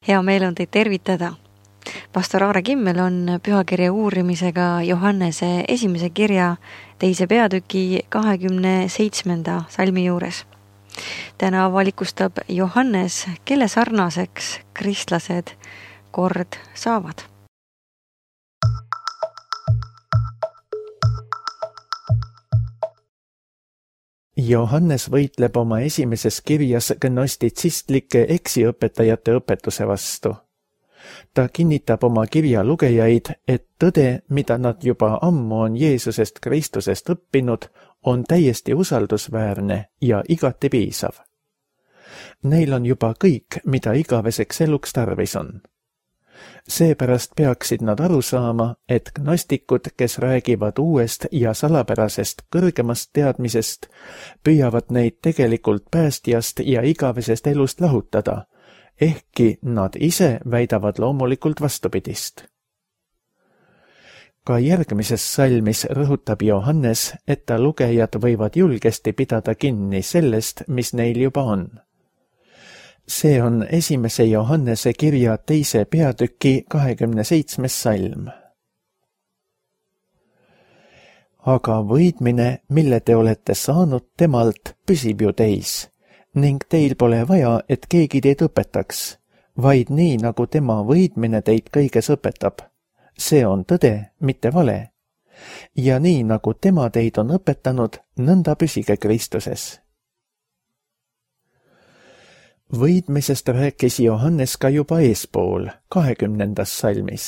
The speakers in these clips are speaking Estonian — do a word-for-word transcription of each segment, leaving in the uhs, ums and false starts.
Hea meel on teid tervitada. Pastor Aare Kimmel on pühakirja uurimisega Johannese esimese kirja teise peatüki kahekümne seitsmenda salmi juures. Täna avalikustab Johannes, kelle sarnaseks kristlased kord saavad. Johannes võitleb oma esimeses kirjas gnostitsistlike eksiõpetajate õpetuse vastu. Ta kinnitab oma kirja lugejaid, et tõde, mida nad juba ammu on Jeesusest Kristusest õppinud, on täiesti usaldusväärne ja igati piisav. Neil on juba kõik, mida igaveseks eluks tarvis on. Seepärast peaksid nad aru saama, et gnostikud, kes räägivad uuest ja salapärasest kõrgemast teadmisest, püüavad neid tegelikult päästjast ja igavesest elust lahutada, ehkki nad ise väidavad loomulikult vastupidist. Ka järgmises salmis rõhutab Johannes, et ta lugejad võivad julgesti pidada kinni sellest, mis neil juba on. See on esimese Johannese kirja teise peatüki kahekümne seitsmes salm. Aga võidmine, mille te olete saanud temalt, püsib ju teis, ning teil pole vaja, et keegi teid õpetaks, vaid nii, nagu tema võidmine teid kõiges õpetab. See on tõde, mitte vale. Ja nii, nagu tema teid on õpetanud, nõnda püsige Kristuses. Võidmisest rääkis Johannes ka juba eespool, kahekümnendas salmis.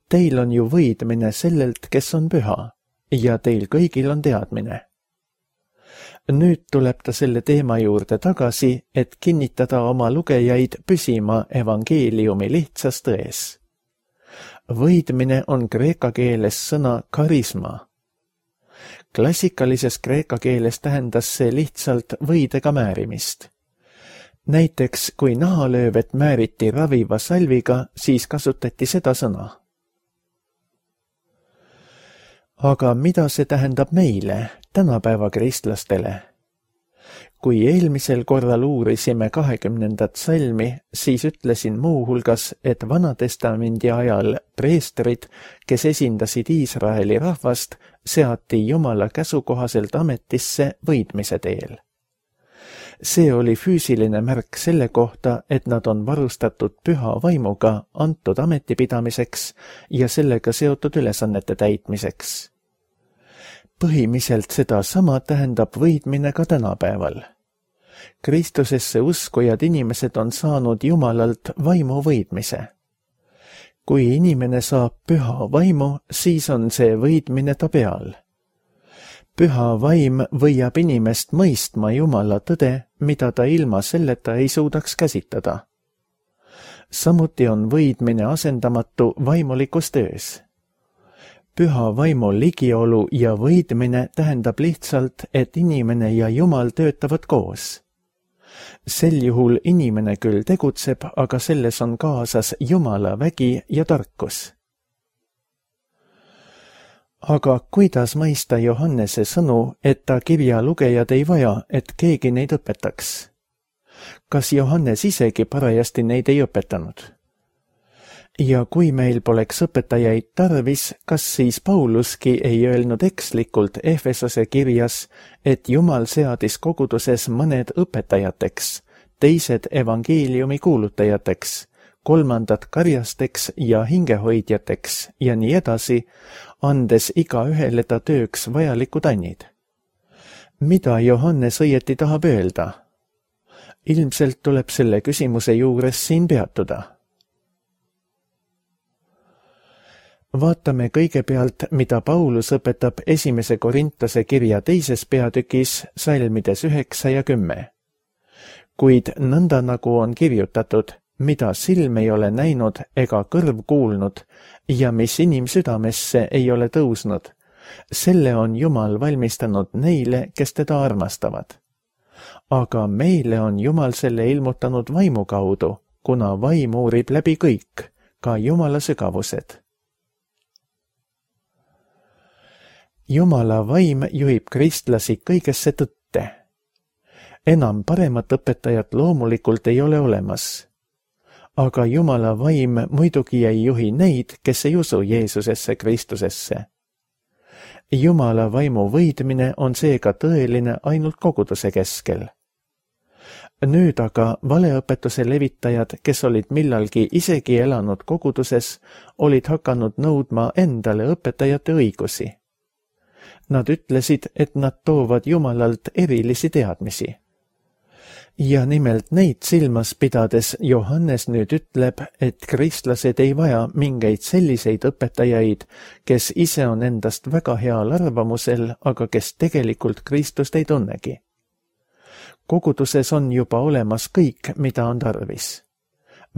Teil on ju võidmine sellelt, kes on püha, ja teil kõigil on teadmine. Nüüd tuleb ta selle teema juurde tagasi, et kinnitada oma lugejaid püsima evangeeliumi lihtsas tões. Võidmine on kreeka keeles sõna karisma. Klassikalises kreeka keeles tähendas see lihtsalt võidega määrimist. Näiteks, kui nahalöövet määriti raviva salviga, siis kasutati seda sõna. Aga mida see tähendab meile, tänapäeva kristlastele? Kui eelmisel korral uurisime kahekümnendat salmi, siis ütlesin muu hulgas, et Vanatestamendi ajal preestrid, kes esindasid Iisraeli rahvast, seati Jumala käsukohaselt ametisse võidmise teel. See oli füüsiline märk selle kohta, et nad on varustatud püha vaimuga antud ametipidamiseks ja sellega seotud ülesannete täitmiseks. Põhimiselt seda sama tähendab võidmine ka tänapäeval. Kristusesse uskujad inimesed on saanud Jumalalt vaimu võidmise. Kui inimene saab püha vaimu, siis on see võidmine ta peal. Püha vaim võiab inimest mõistma Jumala tõde, mida ta ilma selleta ei suudaks käsitada. Samuti on võidmine asendamatu vaimulikus töös. Püha vaimu ligiolu ja võidmine tähendab lihtsalt, et inimene ja Jumal töötavad koos. Sel juhul inimene küll tegutseb, aga selles on kaasas Jumala vägi ja tarkus. Aga kuidas mõista Johannese sõnu, et ta kirja lugejad ei vaja, et keegi neid õpetaks? Kas Johannes isegi parajasti neid ei õpetanud? Ja kui meil poleks õpetajaid tarvis, kas siis Pauluski ei öelnud ekslikult Efesose kirjas, et Jumal seadis koguduses mõned õpetajateks, teised evangeeliumi kuulutajateks, kolmandad karjasteks ja hingehoidjateks ja nii edasi, andes iga ühele ta tööks vajalikud annid. Mida Johannes õieti tahab öelda? Ilmselt tuleb selle küsimuse juures siin peatuda. Vaatame kõigepealt, mida Paulus õpetab esimese Korintase kirja teises peatükis salmides üheksa ja kümme. Kuid nõnda nagu on kirjutatud, mida silm ei ole näinud ega kõrv kuulnud ja mis inimsüdamesse ei ole tõusnud, selle on Jumal valmistanud neile, kes teda armastavad. Aga meile on Jumal selle ilmutanud vaimu kaudu, kuna vaim uurib läbi kõik, ka Jumala sügavused. Jumala vaim juhib kristlasi kõigesse tõtte. Enam paremat õpetajat loomulikult ei ole olemas. aga Jumala vaim muidugi ei juhi neid, kes ei usu Jeesusesse Kristusesse. Jumala vaimu võidmine on seega tõeline ainult koguduse keskel. Nüüd aga valeõpetuse levitajad, kes olid millalgi isegi elanud koguduses, olid hakanud nõudma endale õpetajate õigusi. Nad ütlesid, et nad toovad Jumalalt erilisi teadmisi. Ja nimelt neid silmas pidades Johannes nüüd ütleb, et kristlased ei vaja mingeid selliseid õpetajaid, kes ise on endast väga heal arvamusel, aga kes tegelikult Kristust ei tunnegi. Koguduses on juba olemas kõik, mida on tarvis.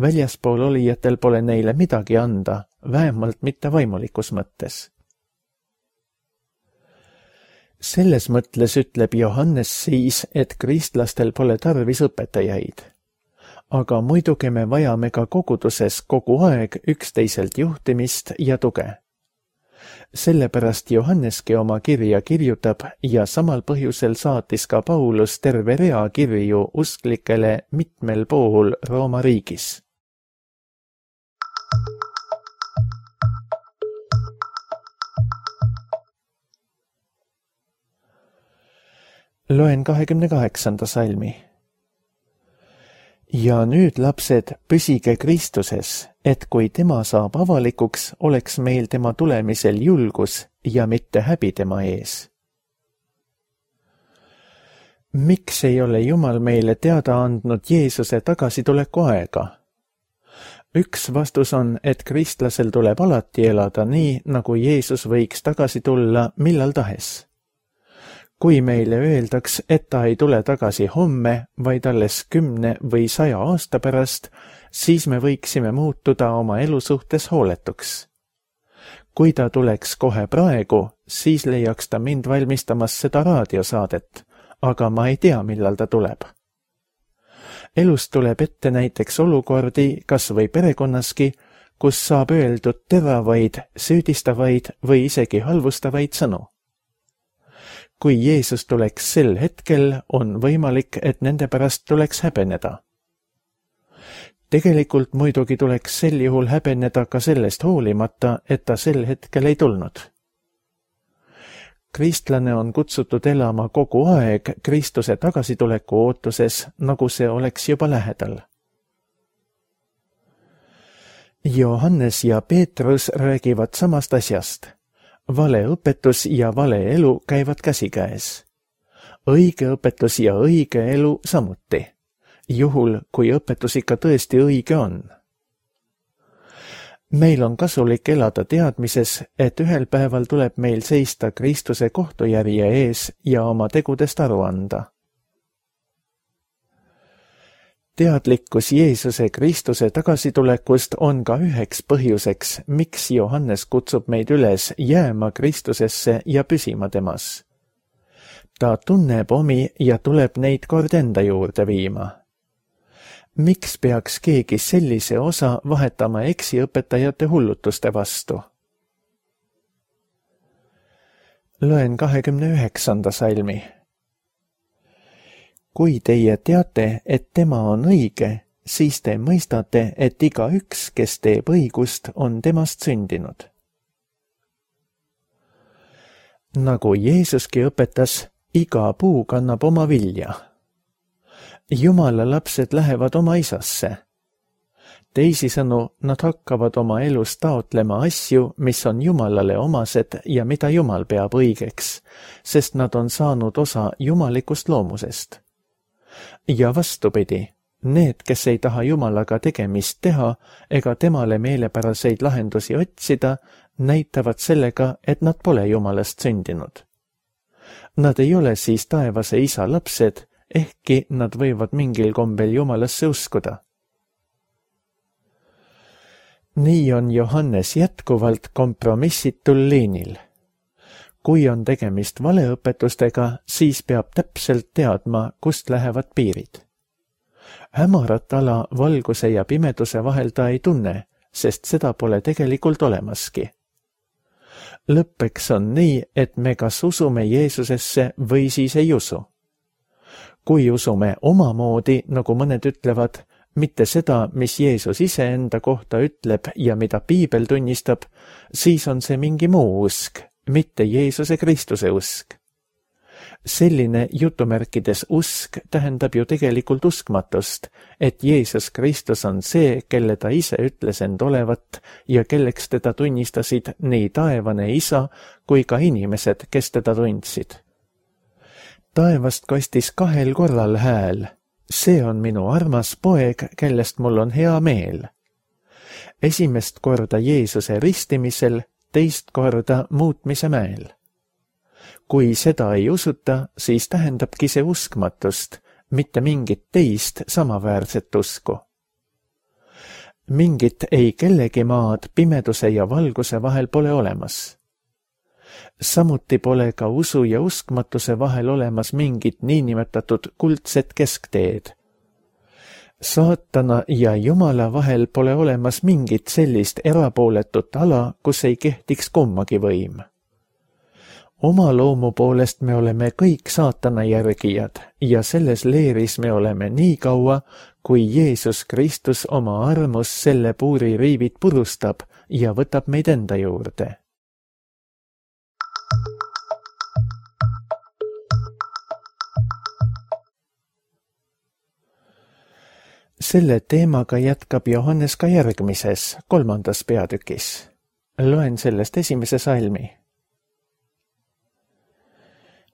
Väljaspool olijatel pole neile midagi anda, vähemalt mitte vaimulikus mõttes. Selles mõtles ütleb Johannes siis, et kristlastel pole tarvis õpetajaid. Aga muidugi me vajame ka koguduses kogu aeg üksteiselt juhtimist ja tuge. Sellepärast Johanneski oma kirja kirjutab ja samal põhjusel saatis ka Paulus terve rea kirju usklikele mitmel pool Rooma riigis. Loen kahekümne kaheksanda salmi. Ja nüüd, lapsed, püsige Kristuses, et kui tema saab avalikuks, oleks meil tema tulemisel julgus ja mitte häbi tema ees. Miks ei ole Jumal meile teada andnud Jeesuse tagasituleku aega? Üks vastus on, et kristlasel tuleb alati elada nii, nagu Jeesus võiks tagasi tulla millal tahes. Kui meile öeldaks, et ta ei tule tagasi homme, vaid alles kümne või saja aasta pärast, siis me võiksime muutuda oma elu suhtes hooletuks. Kui ta tuleks kohe praegu, siis leiaks ta mind valmistamas seda raadiosaadet, aga ma ei tea, millal ta tuleb. Elus tuleb ette näiteks olukordi, kas või perekonnaski, kus saab öeldud teravaid, süüdistavaid või isegi halvustavaid sõnu. Kui Jeesus tuleks sel hetkel, on võimalik, et nende pärast tuleks häbeneda. Tegelikult muidugi tuleks sel juhul häbeneda ka sellest hoolimata, et ta sel hetkel ei tulnud. Kristlane on kutsutud elama kogu aeg Kristuse tagasituleku ootuses, nagu see oleks juba lähedal. Johannes ja Peetrus räägivad samast asjast. Vale õpetus ja vale elu käivad käsikäes. Õige õpetus ja õige elu samuti, juhul kui õpetus ikka tõesti õige on. Meil on kasulik elada teadmises, et ühel päeval tuleb meil seista Kristuse kohtujärje ees ja oma tegudest aru anda. Teadlikkus Jeesuse Kristuse tagasitulekust on ka üheks põhjuseks, miks Johannes kutsub meid üles jääma Kristusesse ja püsima temas. Ta tunneb omi ja tuleb neid kord enda juurde viima. Miks peaks keegi sellise osa vahetama eksiõpetajate hullutuste vastu? Loen kahekümne üheksanda salmi. Kui teie teate, et tema on õige, siis te mõistate, et iga üks, kes teeb õigust, on temast sündinud. Nagu Jeesuski õpetas, iga puu kannab oma vilja. Jumala lapsed lähevad oma isasse. Teisisõnu, nad hakkavad oma elus taotlema asju, mis on Jumalale omased ja mida Jumal peab õigeks, sest nad on saanud osa jumalikust loomusest. Ja vastupidi, need, kes ei taha Jumalaga tegemist teha ega temale meelepäraseid lahendusi otsida, näitavad sellega, et nad pole Jumalast sündinud. Nad ei ole siis taevase isa lapsed, ehkki nad võivad mingil kombel Jumalasse uskuda. Nii on Johannes jätkuvalt kompromissitul liinil. Kui on tegemist valeõpetustega, siis peab täpselt teadma, kust lähevad piirid. Hämarat ala valguse ja pimeduse vahel ta ei tunne, sest seda pole tegelikult olemaski. Lõppeks on nii, et me kas usume Jeesusesse või siis ei usu. Kui usume omamoodi, nagu mõned ütlevad, mitte seda, mis Jeesus iseenda kohta ütleb ja mida Piibel tunnistab, siis on see mingi muu usk, mitte Jeesuse Kristuse usk. Selline jutumärkides usk tähendab ju tegelikult uskmatust, et Jeesus Kristus on see, kelle ta ise ütles end olevat ja kelleks teda tunnistasid nii taevane isa kui ka inimesed, kes teda tundsid. Taevast kostis kahel korral hääl. See on minu armas poeg, kellest mul on hea meel. Esimest korda Jeesuse ristimisel, teist korda muutmise mäel. Kui seda ei usuta, siis tähendabki see uskmatust, mitte mingit teist samaväärset usku. Mingit ei kellegi maad pimeduse ja valguse vahel pole olemas. Samuti pole ka usu ja uskmatuse vahel olemas mingit niinimetatud kuldset keskteed. Saatana ja Jumala vahel pole olemas mingit sellist erapooletut ala, kus ei kehtiks kummagi võim. Oma loomu poolest me oleme kõik saatana järgijad ja selles leeris me oleme nii kaua, kui Jeesus Kristus oma armus selle puuri riivid purustab ja võtab meid enda juurde. Selle teemaga jätkab Johannes ka järgmises, kolmandas peatükis. Loen sellest esimese salmi.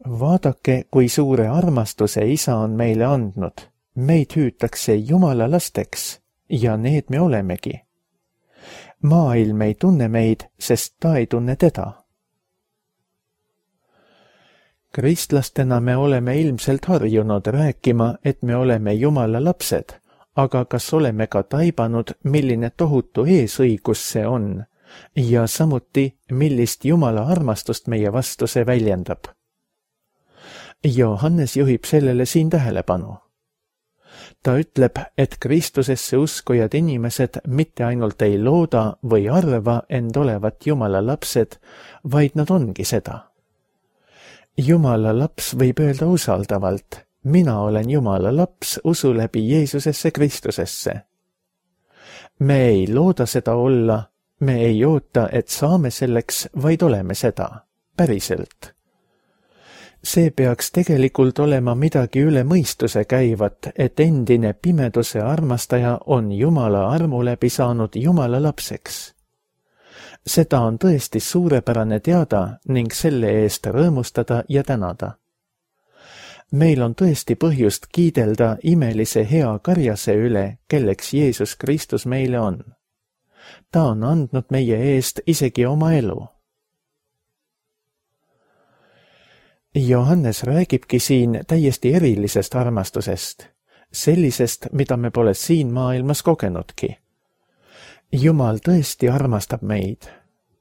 Vaadake, kui suure armastuse isa on meile andnud. Meid hüütakse Jumala lasteks ja need me olemegi. Maailm ei tunne meid, sest ta ei tunne teda. Kristlastena me oleme ilmselt harjunud rääkima, et me oleme Jumala lapsed, aga kas oleme ka taibanud, milline tohutu eesõigus see on ja samuti, millist Jumala armastust meie vastu see väljendab? Johannes juhib sellele siin tähelepanu. Ta ütleb, et Kristusesse uskujad inimesed mitte ainult ei looda või arva end olevat Jumala lapsed, vaid nad ongi seda. Jumala laps võib öelda usaldavalt, mina olen Jumala laps usu läbi Jeesusesse Kristusesse. Me ei looda seda olla, me ei oota, et saame selleks, vaid oleme seda, päriselt. See peaks tegelikult olema midagi üle mõistuse käivat, et endine pimeduse armastaja on Jumala armu läbi saanud Jumala lapseks. Seda on tõesti suurepärane teada ning selle eest rõõmustada ja tänada. Meil on tõesti põhjust kiidelda imelise hea karjase üle, kelleks Jeesus Kristus meile on. Ta on andnud meie eest isegi oma elu. Johannes räägibki siin täiesti erilisest armastusest, sellisest, mida me pole siin maailmas kogenudki. Jumal tõesti armastab meid.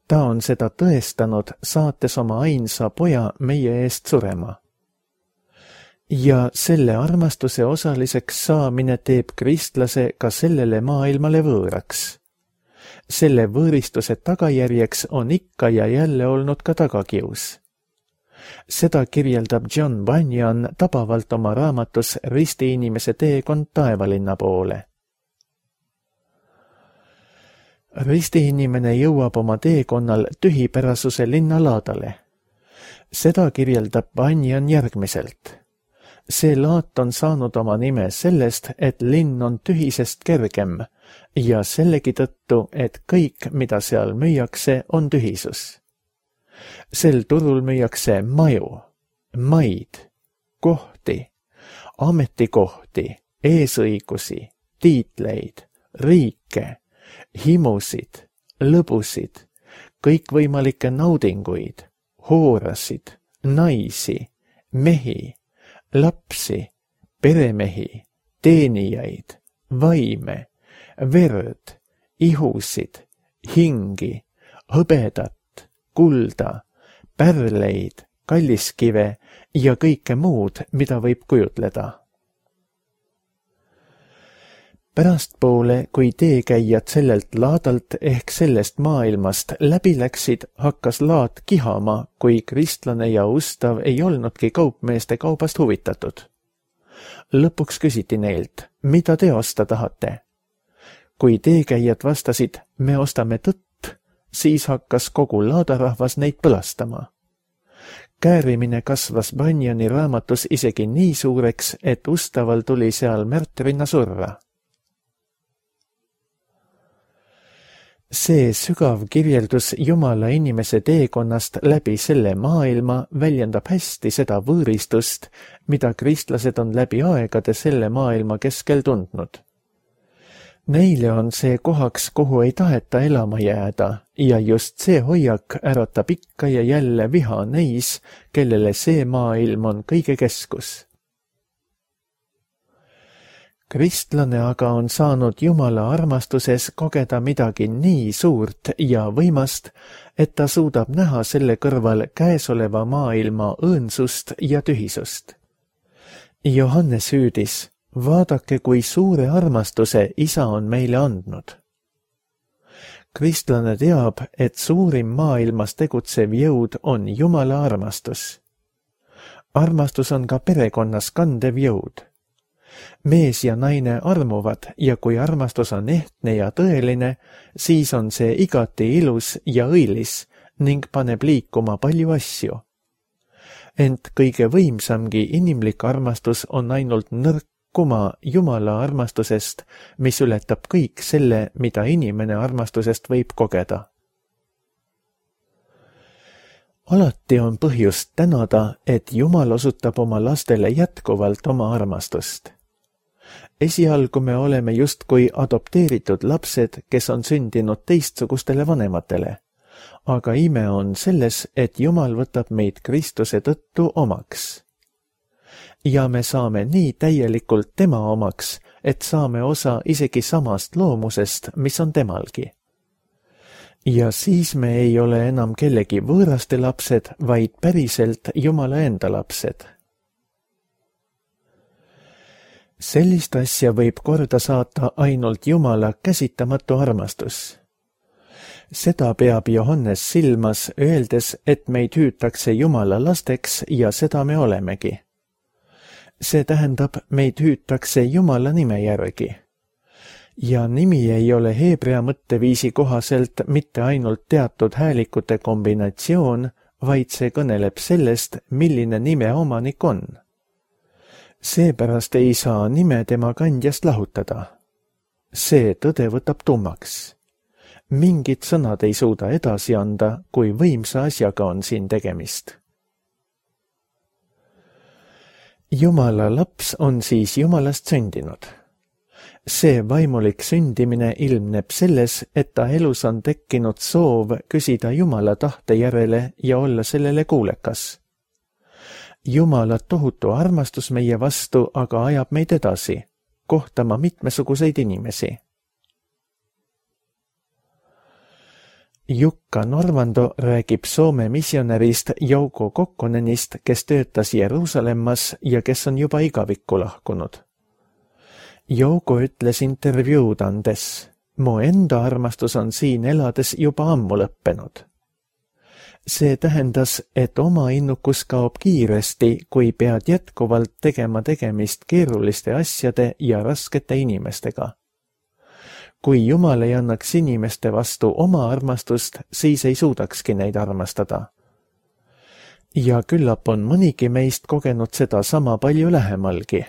Ta on seda tõestanud, saates oma ainsa poja meie eest surema. Ja selle armastuse osaliseks saamine teeb kristlase ka sellele maailmale võõraks. Selle võõristuse tagajärjeks on ikka ja jälle olnud ka tagakius. Seda kirjeldab John Bunyan tabavalt oma raamatus Risti inimese teekond taevalinna poole. Risti inimene jõuab oma teekonnal tühipärasuse linnalaadale. Seda kirjeldab Bunyan järgmiselt. See laat on saanud oma nime sellest, et linn on tühisest kergem ja sellegi tõttu, et kõik, mida seal müüakse, on tühisus. Sel turul müüakse maju, maid, kohti, ametikohti, eesõigusi, tiitleid, riike, himusid, lõbusid, kõikvõimalikke naudinguid, hoorasid, naisi, mehi, lapsi, peremehi, teenijaid, vaime, verd, ihusid, hingi, hõbedat, kulda, pärleid, kalliskive ja kõike muud, mida võib kujutleda. Pärastpoole, kui teekäijad sellelt laadalt ehk sellest maailmast läbi läksid, hakkas laat kihama, kui kristlane ja ustav ei olnudki kaupmeeste kaubast huvitatud. Lõpuks küsiti neilt, mida te osta tahate. Kui teekäijad vastasid, me ostame tõtt, siis hakkas kogu laadarahvas neid põlastama. Käärimine kasvas Bunjani raamatus isegi nii suureks, et ustaval tuli seal märtrina surra. See sügav kirjeldus Jumala inimese teekonnast läbi selle maailma väljendab hästi seda võõristust, mida kristlased on läbi aegade selle maailma keskel tundnud. Neile on see kohaks, kuhu ei taheta elama jääda, ja just see hoiak äratab ikka ja jälle viha neis, kellele see maailm on kõige keskus. Kristlane aga on saanud Jumala armastuses kogeda midagi nii suurt ja võimast, et ta suudab näha selle kõrval käesoleva maailma õõnsust ja tühisust. Johannes hüüdis, vaadake, kui suure armastuse Isa on meile andnud. Kristlane teab, et suurim maailmas tegutsev jõud on Jumala armastus. Armastus on ka perekonnas kandev jõud. Mees ja naine armuvad ja kui armastus on ehtne ja tõeline, siis on see igati ilus ja õilis ning paneb liikuma palju asju. Ent kõige võimsamgi inimlik armastus on ainult nõrk kuma Jumala armastusest, mis ületab kõik selle, mida inimene armastusest võib kogeda. Alati on põhjust tänada, et Jumal osutab oma lastele jätkuvalt oma armastust. Esialgu me oleme justkui adopteeritud lapsed, kes on sündinud teistsugustele vanematele. Aga ime on selles, et Jumal võtab meid Kristuse tõttu omaks. Ja me saame nii täielikult tema omaks, et saame osa isegi samast loomusest, mis on temalgi. Ja siis me ei ole enam kellegi võõraste lapsed, vaid päriselt Jumala enda lapsed. Sellist asja võib korda saata ainult Jumala käsitamatu armastus. Seda peab Johannes silmas, öeldes, et meid hüütakse Jumala lasteks ja seda me olemegi. See tähendab, meid hüütakse Jumala nime järgi. Ja nimi ei ole heebrea mõtteviisi kohaselt mitte ainult teatud häälikute kombinatsioon, vaid see kõneleb sellest, milline nime omanik on. Seepärast ei saa nime tema kandjast lahutada. See tõde võtab tummaks. Mingid sõnad ei suuda edasi anda, kui võimsa asjaga on siin tegemist. Jumala laps on siis Jumalast sündinud. See vaimulik sündimine ilmneb selles, et ta elus on tekkinud soov küsida Jumala tahte järele ja olla sellele kuulekas. Jumala tohutu armastus meie vastu aga ajab meid edasi, kohtama mitmesuguseid inimesi. Jukka Norvando räägib Soome missionärist Jouko Kokkonenist, kes töötas Jeruusalemmas ja kes on juba igavikku lahkunud. Jouko ütles intervjuud andes, mu enda armastus on siin elades juba ammu lõppenud. See tähendas, et oma innukus kaob kiiresti, kui pead jätkuvalt tegema tegemist keeruliste asjade ja raskete inimestega. Kui Jumal ei annaks inimeste vastu oma armastust, siis ei suudakski neid armastada. Ja küllap on mõnigi meist kogenud seda sama palju lähemalgi.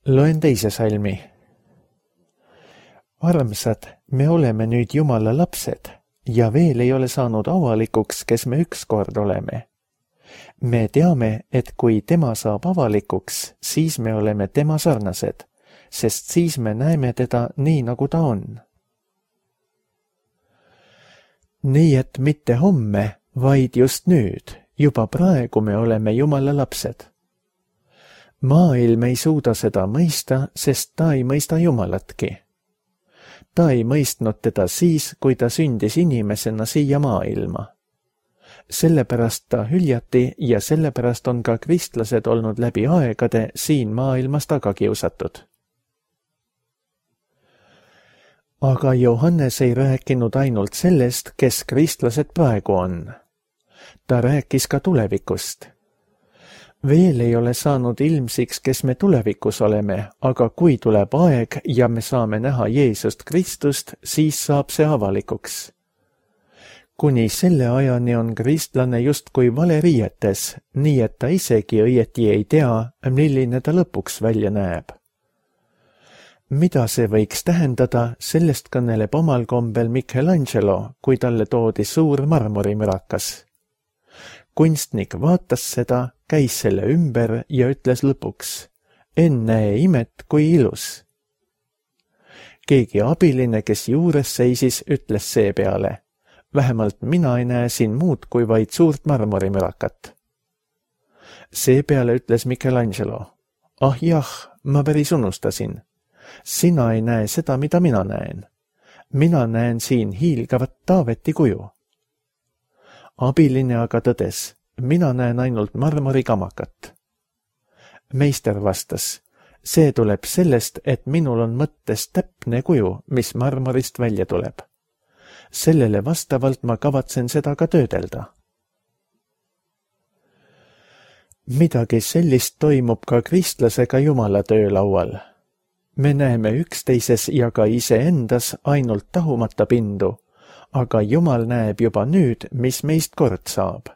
Loen teise salmi. Armsad, me oleme nüüd Jumala lapsed ja veel ei ole saanud avalikuks, kes me ükskord oleme. Me teame, et kui tema saab avalikuks, siis me oleme tema sarnased, sest siis me näeme teda nii, nagu ta on. Nii et mitte homme, vaid just nüüd, juba praegu me oleme Jumala lapsed. Maailm ei suuda seda mõista, sest ta ei mõista Jumalatki. Ta ei mõistnud teda siis, kui ta sündis inimesena siia maailma. Sellepärast ta hüljati ja sellepärast on ka kristlased olnud läbi aegade siin maailmas tagakiusatud. aga Johannes ei rääkinud ainult sellest, kes kristlased praegu on. Ta rääkis ka tulevikust. Veel ei ole saanud ilmsiks, kes me tulevikus oleme, aga kui tuleb aeg ja me saame näha Jeesust Kristust, siis saab see avalikuks. Kuni selle ajani on kristlane justkui valeriietes, nii et ta isegi õieti ei tea, milline ta lõpuks välja näeb. Mida see võiks tähendada, sellest kõneleb omal kombel Michelangelo, kui talle toodi suur marmorimürakas. Kunstnik vaatas seda, käis selle ümber ja ütles lõpuks, ennäe imet, kui ilus. Keegi abiline, kes juures seisis, ütles seepeale, vähemalt mina ei näe siin muud kui vaid suurt marmorimürakat. Seepeale ütles Michelangelo, ah jah, ma päris unustasin. Sina ei näe seda, mida mina näen. Mina näen siin hiilgavat Taaveti kuju. Abiline aga tõdes, mina näen ainult marmorikamakat. Meister vastas, see tuleb sellest, et minul on mõttes täpne kuju, mis marmorist välja tuleb. Sellele vastavalt ma kavatsen seda ka töödelda. Midagi sellist toimub ka kristlasega Jumala töölaual. Me näeme üksteises ja ka iseendas ainult tahumata pindu, aga Jumal näeb juba nüüd, mis meist kord saab.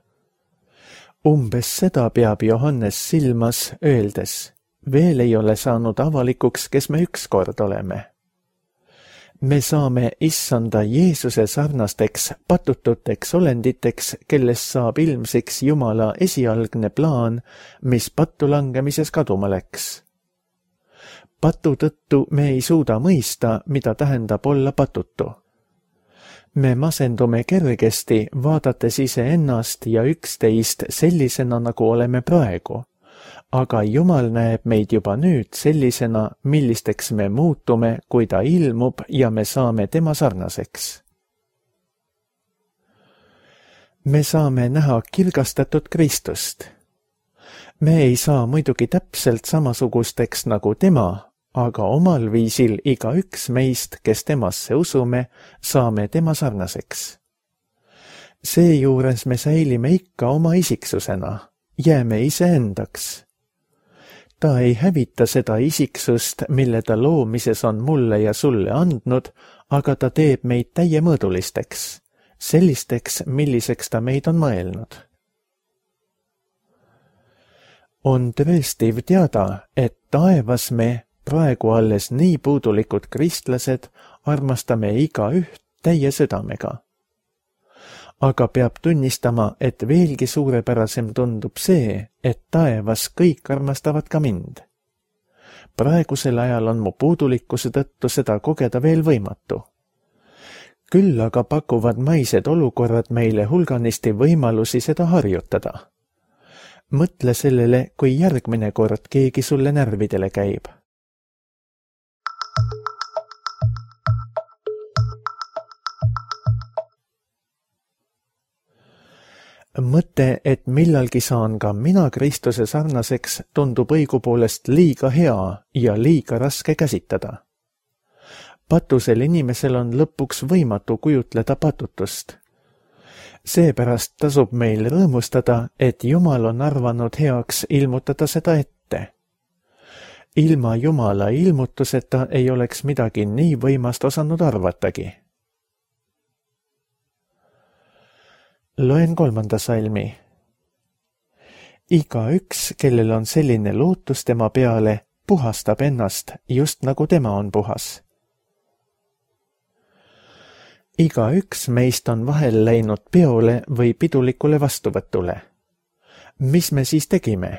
Umbes seda peab Johannes silmas öeldes, veel ei ole saanud avalikuks, kes me ükskord oleme. Me saame issanda Jeesuse sarnasteks patututeks olenditeks, kellest saab ilmsiks Jumala esialgne plaan, mis pattu langemises kaduma läks. Patu tõttu me ei suuda mõista, mida tähendab olla patutu. Me masendume kergesti, vaadates iseennast ja üksteist sellisena, nagu oleme praegu. Aga Jumal näeb meid juba nüüd sellisena, millisteks me muutume, kui ta ilmub ja me saame tema sarnaseks. Me saame näha kirgastatud Kristust. Me ei saa muidugi täpselt samasugusteks nagu tema, aga omal viisil igaüks meist, kes temasse usume, saame tema sarnaseks. Seejuures me säilime ikka oma isiksusena, jääme iseendaks. Ta ei hävita seda isiksust, mille ta loomises on mulle ja sulle andnud, aga ta teeb meid täiemõõdulisteks, sellisteks, milliseks ta meid on mõelnud. On tõestiv teada, et taevas me, praegu alles nii puudulikud kristlased, armastame igaüht täie südamega. Aga peab tunnistama, et veelgi suurepärasem tundub see, et taevas kõik armastavad ka mind. Praegusel ajal on mu puudulikkuse tõttu seda kogeda veel võimatu. Küll aga pakuvad maised olukorrad meile hulganisti võimalusi seda harjutada. Mõtle sellele, kui järgmine kord keegi sulle närvidele käib. Mõte, et millalgi saan ka mina Kristuse sarnaseks, tundub õigupoolest liiga hea ja liiga raske käsitada. Patusel inimesel on lõpuks võimatu kujutleda patutust. Seepärast tasub meil rõõmustada, et Jumal on arvanud heaks ilmutada seda ette. Ilma Jumala ilmutuseta ei oleks midagi nii võimast osanud arvatagi. Loen kolmanda salmi. Igaüks, kellel on selline lootus tema peale, puhastab ennast, just nagu tema on puhas. Igaüks meist on vahel läinud peole või pidulikule vastuvõtule. Mis me siis tegime?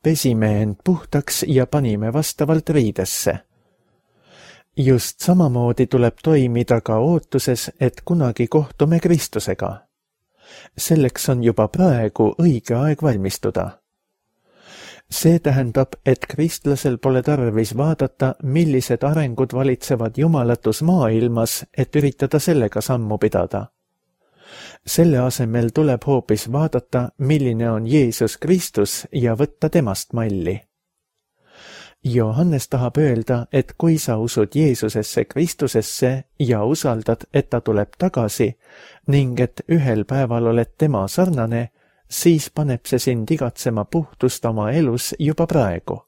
Pesime end puhtaks ja panime vastavalt riidesse. Just samamoodi tuleb toimida ka ootuses, et kunagi kohtume Kristusega. Selleks on juba praegu õige aeg valmistuda. See tähendab, et kristlasel pole tarvis vaadata, millised arengud valitsevad jumalatus maailmas, et üritada sellega sammu pidada. Selle asemel tuleb hoopis vaadata, milline on Jeesus Kristus ja võtta temast malli. Johannes tahab öelda, et kui sa usud Jeesusesse Kristusesse ja usaldad, et ta tuleb tagasi ning et ühel päeval oled tema sarnane, siis paneb see sind igatsema puhtust oma elus juba praegu.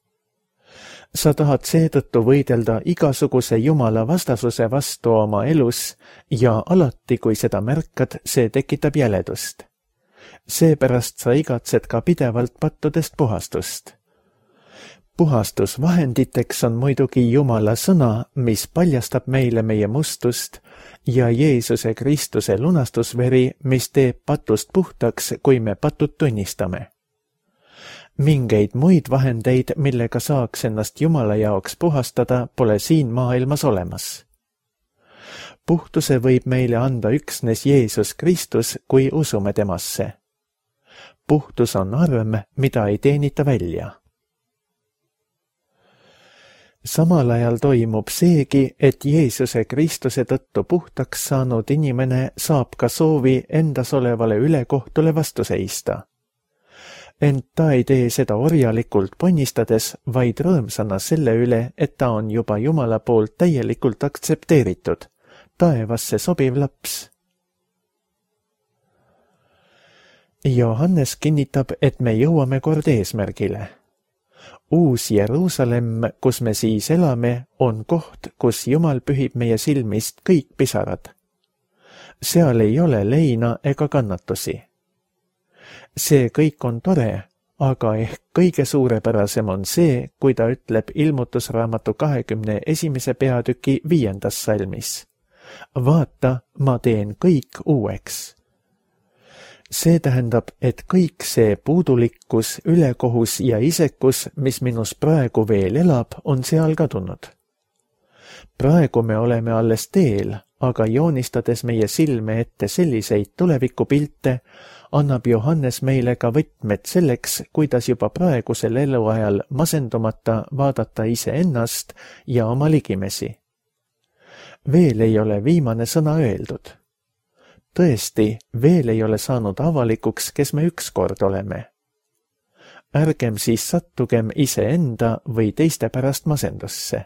Sa tahad seetõttu võidelda igasuguse Jumala vastasuse vastu oma elus ja alati, kui seda märkad, see tekitab jäledust. Seepärast sa igatsed ka pidevalt pattudest puhastust. Puhastusvahenditeks on muidugi Jumala sõna, mis paljastab meile meie mustust, ja Jeesuse Kristuse lunastusveri, mis teeb patust puhtaks, kui me patud tunnistame. Mingeid muid vahendeid, millega saaks ennast Jumala jaoks puhastada, pole siin maailmas olemas. Puhtuse võib meile anda üksnes Jeesus Kristus, kui usume temasse. Puhtus on arm, mida ei teenita välja. Samal ajal toimub seegi, et Jeesuse Kristuse tõttu puhtaks saanud inimene saab ka soovi endas olevale ülekohtule vastu seista. Ent ta ei tee seda orjalikult ponnistades, vaid rõõmsana selle üle, et ta on juba Jumala poolt täielikult aktsepteeritud, taevasse sobiv laps. Johannes kinnitab, et me jõuame kord eesmärgile. Uus Jeruusalemm, kus me siis elame, on koht, kus Jumal pühib meie silmist kõik pisarad. Seal ei ole leina ega kannatusi. See kõik on tore, aga ehk kõige suurepärasem on see, kui ta ütleb ilmutusraamatu kahekümne esimese peatüki viiendas salmis. Vaata, ma teen kõik uueks. See tähendab, et kõik see puudulikkus, ülekohus ja isekus, mis minus praegu veel elab, on seal kadunud. Praegu me oleme alles teel, aga joonistades meie silme ette selliseid tulevikupilte, annab Johannes meile ka võtmed selleks, kuidas juba praegusel eluajal masendumata vaadata iseennast ja oma ligimesi. Veel ei ole viimane sõna öeldud. Tõesti, veel ei ole saanud avalikuks, kes me ükskord oleme. Ärgem siis sattugem iseenda või teiste pärast masendusse.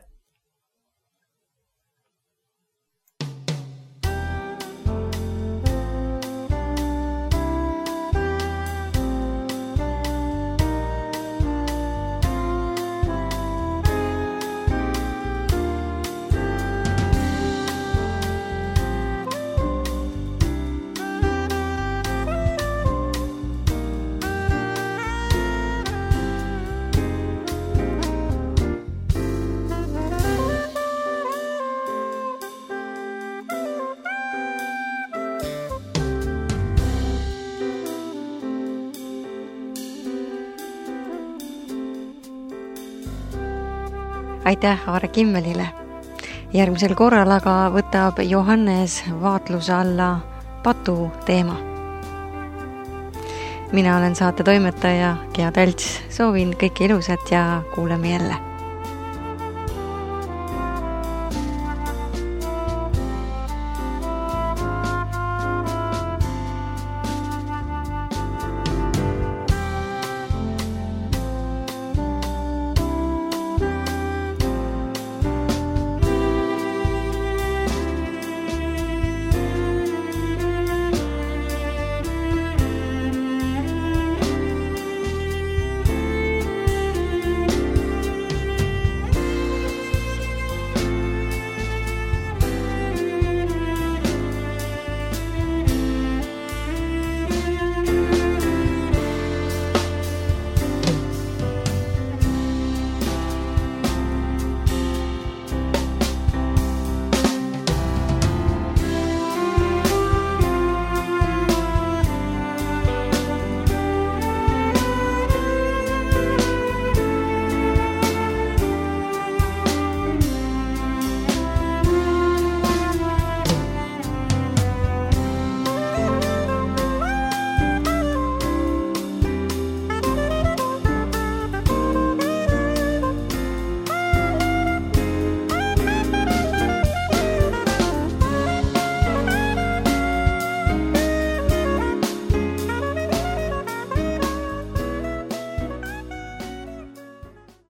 Aitäh Aare Kimmelile. Järgmisel korral aga võtab Johannes vaatluse alla patu teema. Mina olen saate toimetaja Gea Tälts. Soovin kõike ilusat ja kuuleme jälle.